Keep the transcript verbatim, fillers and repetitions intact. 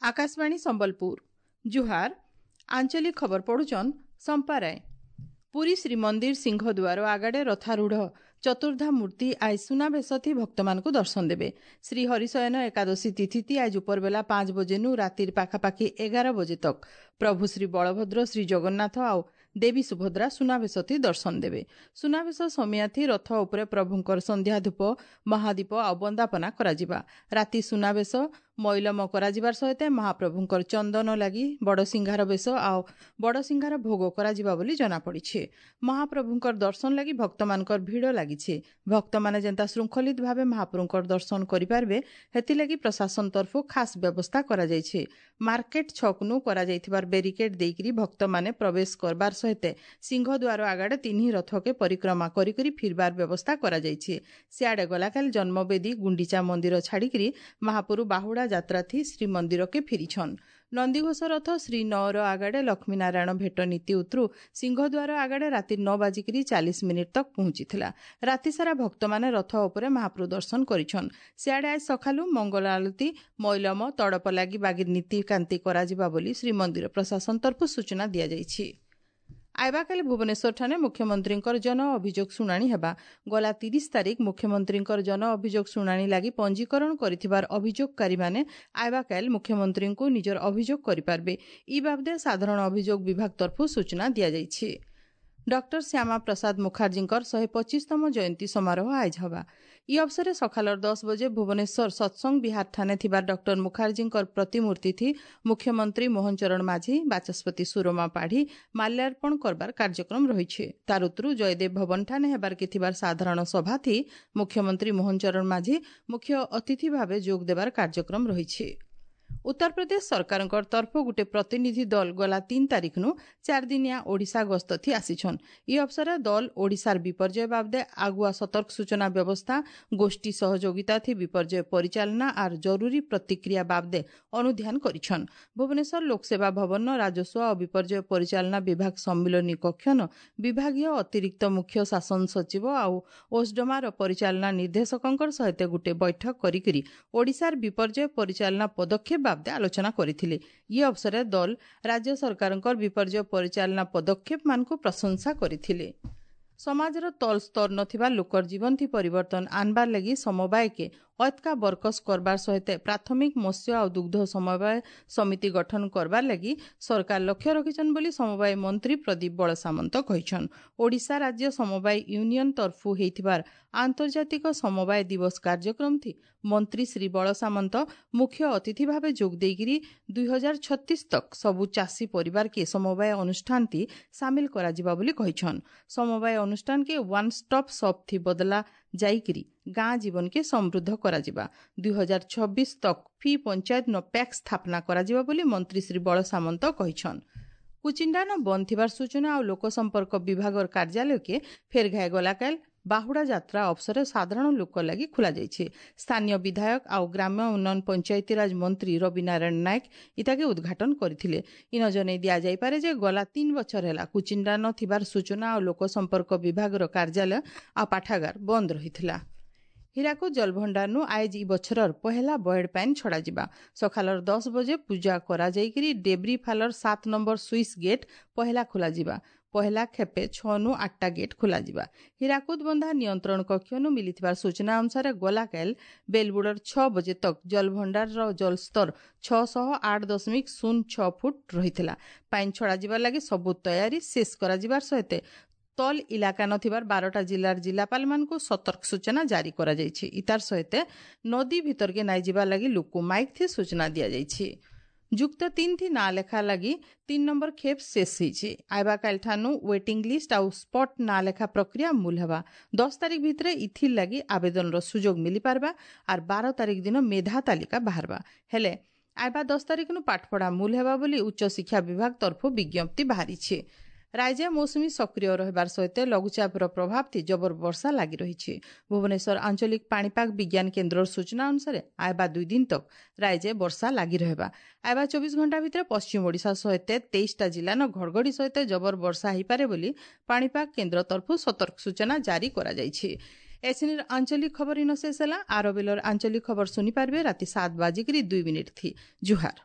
ଆକାଶବାଣୀ ସମ୍ବଲପୁର ଜୁହାର ଆଞ୍ଚଳିକ ଖବର ପଢୁଛନ୍ ସମ୍ପା ରାୟ ପୁରୀ ଶ୍ରୀମନ୍ଦିର ସିଂହଦ୍ୱାର ଆଗାଡ଼େ ରଥାରୂଢ଼ ଚତୁର୍ଦ୍ଧା ମୂର୍ତ୍ତି ଆଜ ସୁନାବେଶଥି ଭକ୍ତମାନଙ୍କୁ ଦର୍ଶନ ଦେବେ ଶ୍ରୀ ହରିଶୟନ ଏକାଦଶୀ ତିଥିତି ଆଜ ଉପରବେଲା ପାଞ୍ଚ ବଜେନୁ ରାତିର ପାଖାପାଖି ଏଗାର ବଜେ ତକ୍ ପ୍ରଭୁ ଶ୍ରୀ ବଳଭଦ୍ର ଶ୍ରୀ ଜଗନ୍ନାଥ ଆଉ ଦେବୀ ସୁଭଦ୍ରା ସୁନାବେଶଥି ଦର୍ଶନ ଦେବେ ସୁନାବେଶ ସମିଆଥି ରଥ ଉପରେ ପ୍ରଭୁଙ୍କର ସନ୍ଧ୍ୟା ଧୂପ ମହାଦୀପ ଆଉ ବନ୍ଦାପନା କରାଯିବା ରାତି ସୁନାବେଶ ମଇଲମ କରାଯିବାର ସହିତ ମହାପ୍ରଭୁଙ୍କର ଚନ୍ଦନ ଲାଗି ବଡ଼ସିଂହାର ବେଶ ଆଉ ବଡ଼ସିଂହାର ଭୋଗ କରାଯିବା ବୋଲି ଜଣାପଡ଼ିଛି ମହାପ୍ରଭୁଙ୍କର ଦର୍ଶନ ଲାଗି ଭକ୍ତମାନଙ୍କର ଭିଡ଼ ଲାଗିଛି ଭକ୍ତମାନେ ଯେନ୍ତା ଶୃଙ୍ଖଳିତ ଭାବେ ମହାପ୍ରଭୁଙ୍କର ଦର୍ଶନ କରିପାରିବେ ହେଥିଲାଗି ପ୍ରଶାସନ ତରଫରୁ ଖାସ୍ ବ୍ୟବସ୍ଥା କରାଯାଇଛି ମାର୍କେଟ ଛକନୁ କରାଯାଇଥିବାର ବ୍ୟାରିକେଡ୍ ଦେଇକରି ଭକ୍ତମାନେ ପ୍ରବେଶ କରବାର ସହିତ ସିଂହଦ୍ୱାର ଆଗାଡ଼େ ତିନି ରଥକେ ପରିକ୍ରମା କରିକରି ଫିରବାର ବ୍ୟବସ୍ଥା କରାଯାଇଛି ସିଆଡ଼େ ଗଲାକାଲି ଜନ୍ମବେଦୀ ଗୁଣ୍ଡିଚା ମନ୍ଦିର ଛାଡ଼ିକରି ମହାପ୍ରଭୁ ବାହୁଡ଼ା ଯାତ୍ରାଥି ଶ୍ରୀମନ୍ଦିରକେ ଫିରିଛନ୍ ନନ୍ଦିଘୋଷ ରଥ ଶ୍ରୀ ନଅର ଆଗାଡ଼େ ଲକ୍ଷ୍ମୀନାରାୟଣ ଭେଟ ନୀତି ଉତରୁ ସିଂହଦ୍ୱାର ଆଗାଡ଼େ ରାତି ନଅ ବାଜିକିରି ଚାଳିଶ ମିନିଟ୍ ତକ୍ ପହଞ୍ଚିଥିଲା ରାତିସାରା ଭକ୍ତମାନେ ରଥ ଉପରେ ମହାପ୍ରଭୁ ଦର୍ଶନ କରିଛନ୍ ସିଆଡ଼େ ଆଜ ସକାଳୁ ମଙ୍ଗଳ ଆଳତୀ ମଇଲମ ତଡ଼ପ ଲାଗି ବାଗି ନୀତିକାନ୍ତି କରାଯିବା ବୋଲି ଶ୍ରୀମନ୍ଦିର ପ୍ରଶାସନ ତରଫରୁ ସୂଚନା ଦିଆଯାଇଛି ଆଇବାକାଲି ଭୁବନେଶ୍ୱରଠାରେ ମୁଖ୍ୟମନ୍ତ୍ରୀଙ୍କର ଜନ ଅଭିଯୋଗ ଶୁଣାଣି ହେବା ଗଲା ତିରିଶ ତାରିଖ ମୁଖ୍ୟମନ୍ତ୍ରୀଙ୍କର ଜନ ଅଭିଯୋଗ ଶୁଣାଣି ଲାଗି ପଞ୍ଜୀକରଣ କରିଥିବାର ଅଭିଯୋଗକାରୀମାନେ ଆଇବାକାଲି ମୁଖ୍ୟମନ୍ତ୍ରୀଙ୍କୁ ନିଜର ଅଭିଯୋଗ କରିପାରିବେ ଇ ବାବଦେ ସାଧାରଣ ଅଭିଯୋଗ ବିଭାଗ ତରଫରୁ ସୂଚନା ଦିଆଯାଇଛି ଡକ୍ଟର ଶ୍ୟାମା ପ୍ରସାଦ ମୁଖାର୍ଜୀଙ୍କର ଶହେ ପଚିଶତମ ଜୟନ୍ତୀ ସମାରୋହ ଆଇଜ ହେବା ଇ ଅବସରେ ସକାଳର ଦଶ ବଜେ ଭୁବନେଶ୍ୱର ସତ୍ସଙ୍ଗ ବିହାର ଥାନେ ଥିବା ଡକ୍ଟର ମୁଖାର୍ଜୀଙ୍କର ପ୍ରତିମୂର୍ତ୍ତି ମୁଖ୍ୟମନ୍ତ୍ରୀ ମୋହନ ଚରଣ ମାଝୀ ବାଚସ୍ପତି ସୁରମା ପାଢ଼ୀ ମାଲ୍ୟାର୍ପଣ କରବାର କାର୍ଯ୍ୟକ୍ରମ ରହିଛି ତାର ଉତ୍ତରୁ ଜୟଦେବ ଭବନ ଠାନେ ହେବାର କେ ଥିବାର ସାଧାରଣ ସଭାଥି ମୁଖ୍ୟମନ୍ତ୍ରୀ ମୋହନ ଚରଣ ମାଝୀ ମୁଖ୍ୟ ଅତିଥି ଭାବେ ଯୋଗ ଦେବାର କାର୍ଯ୍ୟକ୍ରମ ରହିଛି ଉତ୍ତରପ୍ରଦେଶ ସରକାରଙ୍କର ତରଫରୁ ଗୋଟେ ପ୍ରତିନିଧି ଦଳ ଗଲା ତିନି ତାରିଖନୁ ଚାରିଦିନିଆ ଓଡ଼ିଶା ଗସ୍ତଥି ଆସିଛନ୍ ଇ ଅବସରେ ଦଳ ଓଡ଼ିଶାର ବିପର୍ଯ୍ୟୟ ବାବଦେ ଆଗୁଆ ସତର୍କ ସୂଚନା ବ୍ୟବସ୍ଥା ଗୋଷ୍ଠୀ ସହଯୋଗିତାଥି ବିପର୍ଯ୍ୟୟ ପରିଚାଳନା ଆର୍ ଜରୁରୀ ପ୍ରତିକ୍ରିୟା ବାବଦେ ଅନୁଧ୍ୟାନ କରିଛନ୍ ଭୁବନେଶ୍ୱର ଲୋକସେବା ଭବନ ରାଜସ୍ୱ ଓ ବିପର୍ଯ୍ୟୟ ପରିଚାଳନା ବିଭାଗ ସମ୍ମିଳନୀ କକ୍ଷନ ବିଭାଗୀୟ ଅତିରିକ୍ତ ମୁଖ୍ୟ ଶାସନ ସଚିବ ଆଉ ଓସ୍ଡମାର ପରିଚାଳନା ନିର୍ଦ୍ଦେଶକଙ୍କର ସହିତ ଗୋଟେ ବୈଠକ କରିକରି ଓଡ଼ିଶାର ବିପର୍ଯ୍ୟୟ ପରିଚାଳନା ପଦକ୍ଷେପ ବାବଦେ ଆଲୋଚନା କରିଥିଲେ ଇ ଅବସରରେ ଦଳ ରାଜ୍ୟ ସରକାରଙ୍କର ବିପର୍ଯ୍ୟୟ ପରିଚାଳନା ପଦକ୍ଷେପମାନଙ୍କୁ ପ୍ରଶଂସା କରିଥିଲେ ସମାଜର ତଳ ସ୍ତର ନଥିବା ଲୋକର ଜୀବନଥି ପରିବର୍ତ୍ତନ ଆନବାର ଲାଗି ସମବାୟକେ ଅତକା ବରକସ କରବାର ସହିତ ପ୍ରାଥମିକ ମତ୍ସ୍ୟ ଆଉ ଦୁଗ୍ଧ ସମବାୟ ସମିତି ଗଠନ କରବାର ଲାଗି ସରକାର ଲକ୍ଷ୍ୟ ରଖିଛନ୍ ବୋଲି ସମବାୟ ମନ୍ତ୍ରୀ ପ୍ରଦୀପ ବଳସାମନ୍ତ କହିଛନ୍ ଓଡ଼ିଶା ରାଜ୍ୟ ସମବାୟ ୟୁନିୟନ ତରଫୁ ହେଇଥିବାର ଆନ୍ତର୍ଜାତିକ ସମବାୟ ଦିବସ କାର୍ଯ୍ୟକ୍ରମଥି ମନ୍ତ୍ରୀ ଶ୍ରୀ ବଳସାମନ୍ତ ମୁଖ୍ୟ ଅତିଥି ଭାବେ ଯୋଗ ଦେଇକରି ଦୁଇ ହଜାର ଛତିଶ ତକ୍ ସବୁ ଚାଷୀ ପରିବାରକେ ସମବାୟ ଅନୁଷ୍ଠାନଥି ସାମିଲ କରାଯିବା ବୋଲି କହିଛନ୍ ସମବାୟ ଅନୁଷ୍ଠାନକେ ୱାନ୍ ଷ୍ଟପ୍ ସପ୍ ଥି ବଦଲା ଯାଇକିରି ଗାଁ ଜୀବନକେ ସମୃଦ୍ଧ କରାଯିବା ଦୁଇ ହଜାର ଛବିଶ ତକ୍ ଫି ପଞ୍ଚାୟତ ନ ପ୍ୟାକ୍ସ ସ୍ଥାପନା କରାଯିବା ବୋଲି ମନ୍ତ୍ରୀ ଶ୍ରୀ ବଳସାମନ୍ତ କହିଛନ୍ କୁଚିଣ୍ଡାନ ବନ୍ଦ ଥିବାର ସୂଚନା ଆଉ ଲୋକସମ୍ପର୍କ ବିଭାଗର କାର୍ଯ୍ୟାଳୟକେ ଫେର ଘାଏ ଗଲାକାଲ ବାହୁଡ଼ା ଯାତ୍ରା ଅବସରରେ ସାଧାରଣ ଲୋକ ଲାଗି ଖୋଲାଯାଇଛି ସ୍ଥାନୀୟ ବିଧାୟକ ଆଉ ଗ୍ରାମ୍ୟ ଉନ୍ନୟନ ପଞ୍ଚାୟତିରାଜ ମନ୍ତ୍ରୀ ରବି ନାରାୟଣ ନାୟକ ଇତାକେ ଉଦ୍ଘାଟନ କରିଥିଲେ ଇନ ଜଣେଇ ଦିଆଯାଇପାରେ ଯେ ଗଲା ତିନି ବଛର ହେଲା କୁଚିଣ୍ଡା ନ ଥିବାର ସୂଚନା ଆଉ ଲୋକସମ୍ପର୍କ ବିଭାଗର କାର୍ଯ୍ୟାଳୟ ଆଉ ପାଠାଗାର ବନ୍ଦ ରହିଥିଲା ହୀରାକୁଦ ଜଳଭଣ୍ଡାରନୁ ଆଇଜ ଇ ବଛରର ପହେଲା ବଏଡ୍ ପାଇନ୍ ଛଡ଼ାଯିବା ସକାଳର ଦଶ ବଜେ ପୂଜା କରାଯାଇକିରି ଡେବ୍ରି ଫାଲର ସାତ ନମ୍ବର ସୁଇସ୍ ଗେଟ୍ ପହେଲା ଖୋଲାଯିବା ପହେଲା ଖେପେ ଛଅନୁ ଆଠଟା ଗେଟ୍ ଖୋଲାଯିବା ହୀରାକୁଦ ବନ୍ଧା ନିୟନ୍ତ୍ରଣ କକ୍ଷନୁ ମିଳିଥିବା ସୂଚନା ଅନୁସାରେ ଗଲାକାଲ ବେଲବୁଡ଼ର ଛଅ ବଜେ ତକ୍ ଜଳଭଣ୍ଡାରର ଜଳସ୍ତର ଛଅଶହ ଆଠ ଦଶମିକ ଶୂନ ଛଅ ଫୁଟ ରହିଥିଲା ପାଇନ୍ ଛଡ଼ାଯିବା ଲାଗି ସବୁ ତୟାରୀ ଶେଷ କରାଯିବାର ସହିତ ତଲ ଇଲାକା ନଥିବାର ବାରଟା ଜିଲ୍ଲାର ଜିଲ୍ଲାପାଳମାନଙ୍କୁ ସତର୍କ ସୂଚନା ଜାରି କରାଯାଇଛି ଇତାର ସହିତ ନଦୀ ଭିତରକେ ନାଇଁ ଯିବା ଲାଗି ଲୋକ ମାଇକ୍ ଥି ସୂଚନା ଦିଆଯାଇଛି ଯୁକ୍ତ ତିନି ଥି ନାଁ ଲେଖା ଲାଗି ତିନି ନମ୍ବର ଖେପ୍ ଶେଷ ହେଇଛି ଆଇବାକାଲି ଠାନୁ ୱେଟିଂ ଲିଷ୍ଟ ଆଉ ସ୍ପଟ୍ ନାଁ ଲେଖା ପ୍ରକ୍ରିୟା ମୂଲ ହେବା ଦଶ ତାରିଖ ଭିତରେ ଇଥିର୍ ଲାଗି ଆବେଦନର ସୁଯୋଗ ମିଳିପାରବା ଆର୍ ବାର ତାରିଖ ଦିନ ମେଧା ତାଲିକା ବାହାରବା ହେଲେ ଆଇବା ଦଶ ତାରିଖନୁ ପାଠପଢ଼ା ମୂଲ ହେବା ବୋଲି ଉଚ୍ଚଶିକ୍ଷା ବିଭାଗ ତରଫରୁ ବିଜ୍ଞପ୍ତି ବାହାରିଛି ରାଜ୍ୟ ମୌସୁମୀ ସକ୍ରିୟ ରହିବାର ସହିତ ଲଘୁଚାପର ପ୍ରଭାବ ଥି ଜବର ବର୍ଷା ଲାଗି ରହିଛି। ଭୁବନେଶ୍ୱର ଆଞ୍ଚଳିକ ପାଣିପାଗ ବିଜ୍ଞାନ କେନ୍ଦ୍ରର ସୂଚନା ଅନୁସାରେ ଆଇବା ଦୁଇ ଦିନ ତକ ରାଜ୍ୟ ବର୍ଷା ଲାଗି ରହିବା। ଆଇବା ଚବିଶ ଘଣ୍ଟା ଭିତରେ ପଶ୍ଚିମ ଓଡ଼ିଶା ସହିତ ତେଇଶଟା ଜିଲ୍ଲାନ ଘଡ଼ଘଡ଼ି ସହିତ ଜବର ବର୍ଷା ହେଇପାରେ ବୋଲି ପାଣିପାଗ କେନ୍ଦ୍ର ତରଫରୁ ସତର୍କ ସୂଚନା ଜାରି କରାଯାଇଛି। ଏସିନିର ଆଞ୍ଚଳିକ ଖବର ଇନ ଶେଷ ହେଲା। ଆର ବେଲର ଆଞ୍ଚଳିକ ଖବର ଶୁଣିପାରିବେ ରାତି ସାତ ବାଜିକିରି ଦୁଇ ମିନିଟ୍ ଥି। ଜୁହାର।